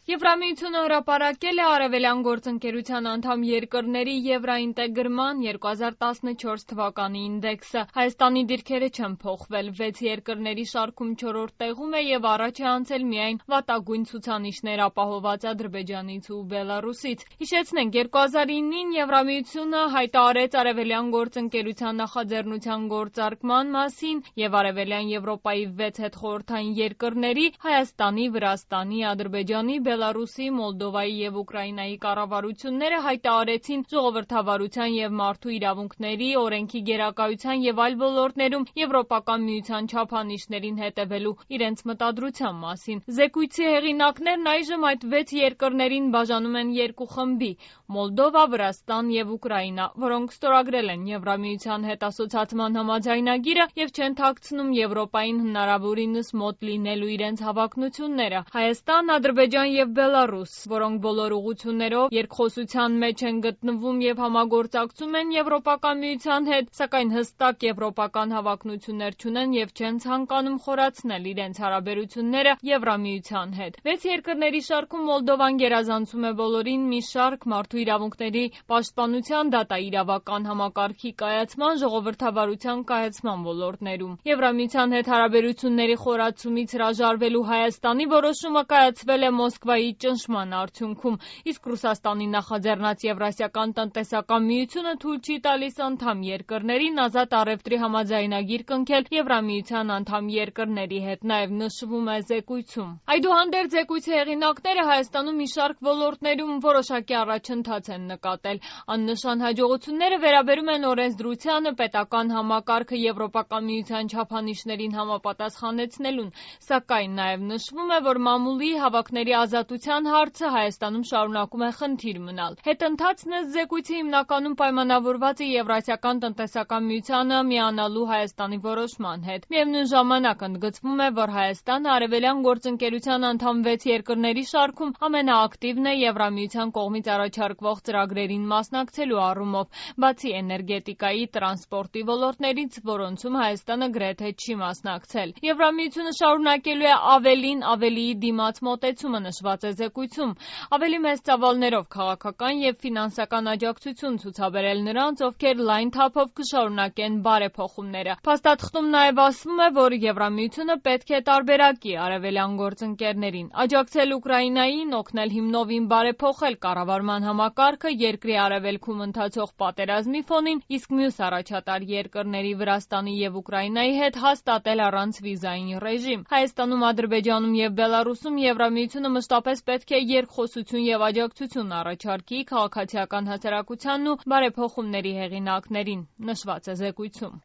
Եվրամիությունը հրապարակել է Արևելյան գործընկերության անդամ երկրների եվրաինտեգրման 2014 թվականի ինդեքսը։ Հայաստանի դիրքերը չեն փոխվել, 6 երկրների շարքում 4-րդ տեղում է եւ առաջ է անցել միայն վատագույն ցուցանիշներ ապահովված Ադրբեջանից ու Բելարուսից։ Հիշեցնենք, 2009-ին Եվրամիությունը հայտարարեց Արևելյան գործընկերության նախաձեռնության գործարկման մասին եւ Արևելյան Եվրոպայի 6 հետխորհրդային երկրների Հայաստանի, Վրաստանի, Ադրբեջանի, Բելարուսի, Մոլդովայի եւ Ուկրաինայի կառավարությունները հայտարարեցին ժողովրդավարության եւ մարդու իրավունքների, օրենքի գերակայության եւ այլ ոլորտներում Եվրոպական միության չափանիշներին հետևելու իրենց մտադրության մասին։ Զեկույցի հեղինակներն այժմ այդ 6 երկրներին բաժանում են երկու խմբի՝ Մոլդովա, Վրաստան եւ Ուկրաինա, որոնք ստորագրել են Եվրամիության հետ ասոցացման համաձայնագիրը եւ չեն թաքցնում Եվրոպային հնարավորինս մոտ լինելու իրենց հավակնությունները։ Հայաստան, Ադրբեջան եւ Բելարուս, որոնք բոլոր ուղղություններով երկխոսության մեջ են գտնվում եւ համագործակցում են Եվրոպական միության հետ, սակայն հստակ եվրոպական հավակնություններ չունեն եւ չեն ցանկանում խորացնել իրենց հարաբերությունները Եվրամիության հետ։ 6 երկրների շարքում Մոլդովան գերազանցում է բոլորին մի շարք մարդու իրավունքների պաշտպանության, դատաիրավական համակարգի կայացման, ժողովրդավարության կայացման ոլորտներում։ Եվրամիության հետ հարաբերությունների խորացումից հրաժարվելու Հայաստանի որոշումը կայացվել է Մոսկվայի ճնշման արդյունքում, իսկ Ռուսաստանի նախաձեռնած Եվրասիական տնտեսական միությունը թույլ չի տալիս անդամ երկրներին ազատ առևտրի համաձայնագիր կնքել Եվրամիության անդամ երկրների հետ, նաև նշվում է զեկույցում։ Այդուհանդերձ զեկույցի հեղինակները Հայաստանում մի շարք ոլորտներում որոշակի առաջընթաց են նկատել։ Աննշան հաջողությունները վերաբերում են օրենսդրությանը, պետական համակարգը Եվրոպական միության չափանիշներին համապատասխանեցնելուն, սակայն նաև նշվում է, որ մամուլի հավաքների ազատության հարցը Հայաստանում շարունակում է խնդիր մնալ։ Հետընթացն ըստ զեկույցի հիմնականում պայմանավորված է Եվրասիական տնտեսական միությանը միանալու Հայաստանի որոշման հետ։ Միևնույն ժամանակ ընդգծվում է, որ Հայաստանը Արևելյան գործընկերության անդամ 6 երկրների շարքում ամենաակտիվն է Եվրամիության կողմից առաջարկվող ծրագրերին մասնակցելու առումով, բացի էներգետիկայի, տրանսպորտի ոլորտներից, որոնցում Հայաստանը գրեթե չի մասնակցել։ Եվրամիությունը շարունակելու է ավելին ավելիի դիմաց մոտեցումը, նշված է զեկույցում, ավելի մեծ ծավալներով քաղաքական եւ ֆինանսական աջակցություն ցուցաբերել նրանց, ովքեր լայն թափով կշարունակեն բարեփոխումները։ Փաստաթղթում նաև ասվում է, որ Եվրամիությունը պետք է տարբերակի արևելյան գործընկերներին, աջակցել Ուկրաինային, օգնել հիմնովին բարեփոխել կառավարման համակարգը երկրի արևելքում ընթացող պատերազմի ֆոնին, իսկ մյուս առաջատար երկրների Վրաստանի եւ Ուկրաինայի հետ հաստատել առանց վիզային ռեժիմ։ Հայաստանում, Ադրբեջանում եւ Բելարուսում Եվրամիությունը մշտապես պետք է երկխոսություն եւ աջակցություն առաջարկի քաղաքացիական հասարակությանն ու բարեփոխումների հեղինակներին, նշված է զեկույցում։